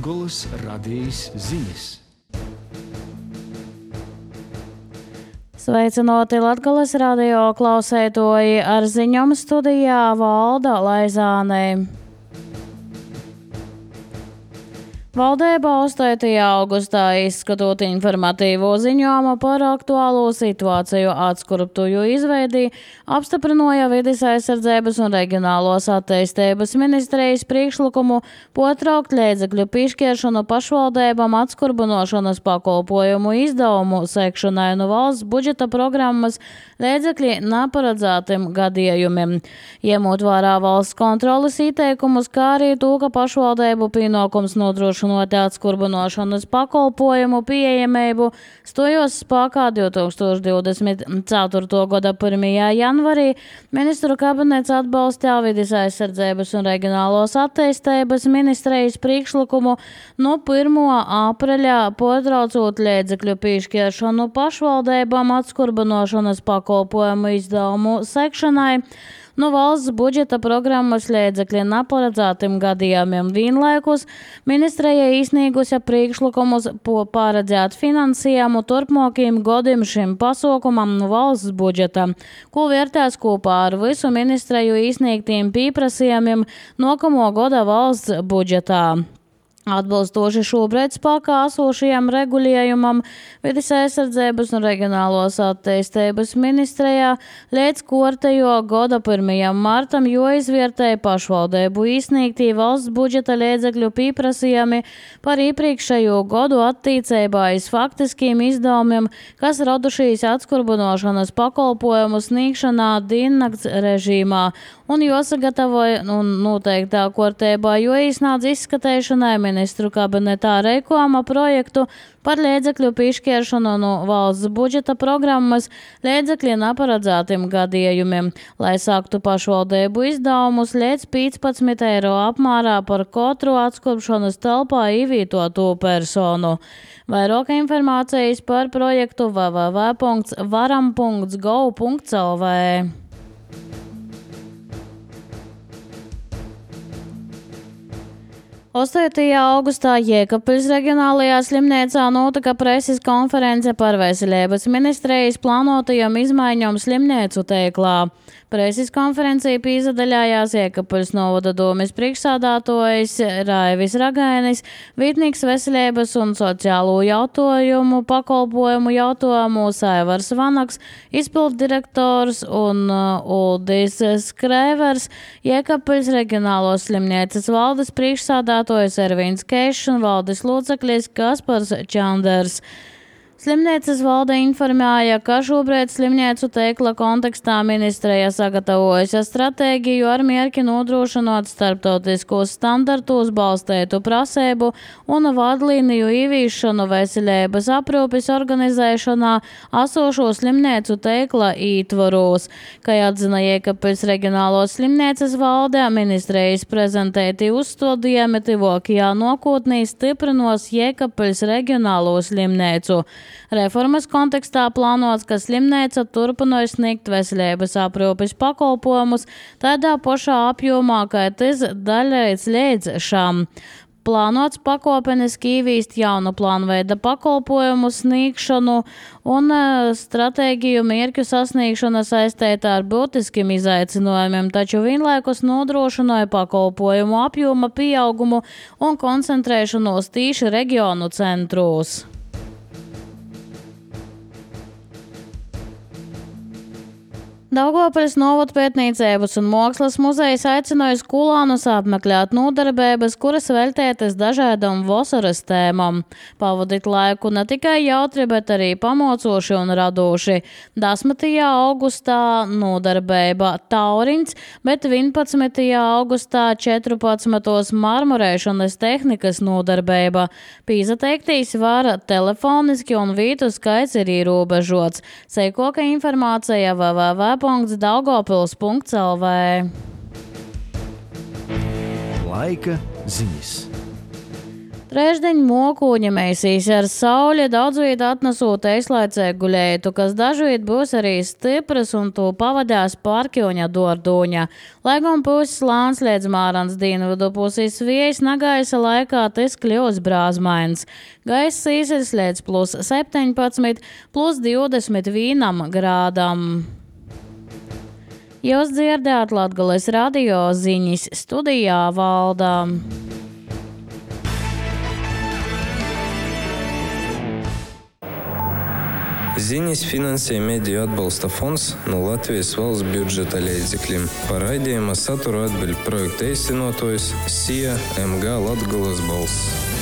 Latgoles radijas ziņas. Sveicināti Latgoles radio klausētoji, ar ziņām studijā Valda Laizāne. Valdība 8. augustā izskatot informatīvo ziņojumu par aktuālo situāciju atskurptuju izveidī, apstiprināja Vides aizsardzības un reģionālos attīstības ministrijas priekšlikumu potraukt līdzekļu piešķiršanu pašvaldībām atskurbinošanas pakalpojumu izdevumu sekšanai no valsts budžeta programmas līdzekļi neparedzētiem gadījumiem. Ņemot vērā valsts kontroles ieteikumus, kā arī to, ka pašvaldību pienākums nodrošināt atskurbinošanas pakalpojumu pieejamību stojos spēkā 2024. gada 1. janvarī, ministru kabinets atbalstīja Vides aizsardzības un reģionālos attīstības ministrijas priekšlikumu no 1. aprīļa potraucot līdzekļu piešķiršanu pašvaldībām atskurbinošanas pakalpojumu izdevumu sekšanai no valsts budžeta programmas līdzekļiem neparedzētiem gadījumiem. Vienlaikus ministrija izsniegusi priekšlikumus paredzēt finansējumu turpmākajiem gadiem šim pasākumam no valsts budžeta, ko vērtēs kopā ar visu ministriju izsniegtiem pieprasījumiem nākamo gada valsts budžetā. Atbilstoši šobrīd spēkā esošajam regulējumam Vides aizsardzības un reģionālos attīstības ministrijā līdz kārtējo gada 1. martam jāizvērtē pašvaldību izsniegtī valsts budžeta līdzekļu pieprasījumi par iepriekšējo gadu attiecībā uz faktiskiem izdevumiem, kas radušies atskurbinošanas pakalpojumu sniegšanā diennakts režīmā, un jāsagatavoja un noteiktā kārtībā jāiesniedz izskatīšanai ministru kabinetā reikojuma projektu par līdzekļu piešķiršanu no valsts budžeta programmas līdzekļiem neparedzētiem gadījumiem, lai sāktu pašvaldību izdevumus līdz 15 eiro apmērā par katru atskurbšanas telpā ievietoto personu. Vairāk informācijas par projektu www.varam.gov.lv. 8. augustā Jēkabpils reģionālajā slimnīcā notika preses konference par veselības ministrijas plānotajām izmaiņām slimnīcu tīklā. Preses konferencē piedalījās Jēkabpils novada domes priekšsēdētājs Raivis Ragainis, vietnieks veselības un sociālo jautājumu pakalpojumu jautājumos Aivars Vanaks, izpilddirektors un Uldis Skrēvers, Jēkabpils reģionālos slimnīcas valdes priekšsēdētājs Ervīns Keišs un valdes loceklis Kaspars Čanders. Slimnīcas valde informēja, ka šobrīd slimnīcu tīkla kontekstā ministrija sagatavojusi stratēģiju ar mērķi nodrošināt starptautiskos standartos balstītu prasību un vadlīniju ieviešanu veselības aprūpes organizēšanā esošo slimnīcu tīkla ietvaros. Kā atzina Jēkabpils reģionālos slimnīcas valde, ministrijas prezentēti uzstādījumi tuvākajā nākotnē stiprinos Jēkabpils reģionālo slimnīcu. Reformas kontekstā plānots, ka slimnīca turpināja sniegt veselības aprūpes pakalpojumus tādā pašā apjomā, kā tas daļēts līdz šam. Plānots pakopeniski ieviest jaunu plānveida pakalpojumu sniegšanu un stratēģiju mērķu sasniegšana saistīta ar būtiskiem izaicinājumiem, taču vienlaikus nodrošināja pakalpojumu apjoma pieaugumu un koncentrēšanos tīši reģionu centros. Daugavpils novada pētniecības un mākslas muzejs aicināja skolānus apmeklēt nodarbības, kuras veltītas dažādām vasaras tēmām. Pavadīt laiku ne tikai jautri, bet arī pamocoši un radoši. 10. augustā nodarbība Tauriņš, bet 11. augustā 14. marmorēšanas tehnikas nodarbība. Pīzateiktīs var telefoniski un vītu skaits ir ierobežots. Seikoka informācija www.daugavpils.lv. Laika ziņas. Trešdeņ mokūņa mēsīs ar sauli daudz viet atnesot eizlaicēgu guļētu, kas dažviet būs arī stipras un to pavadās pārkjoņa dorduņa. Lai gan puses lāns liedz mārans dienvidu puses viejas nagaisa laikā tas kļūs brāzmains. Gaiss īsils liedz plus 17, plus 21 grādam. Jūs dzirdējāt Latgales radio ziņas, studijā Valda. Ziņas finansē Mediju atbalsta fonds no Latvijas valsts budžeta līdzekļiem. Par raidījuma saturu atbild projekta īstenotājs SIA MG Latgales balss.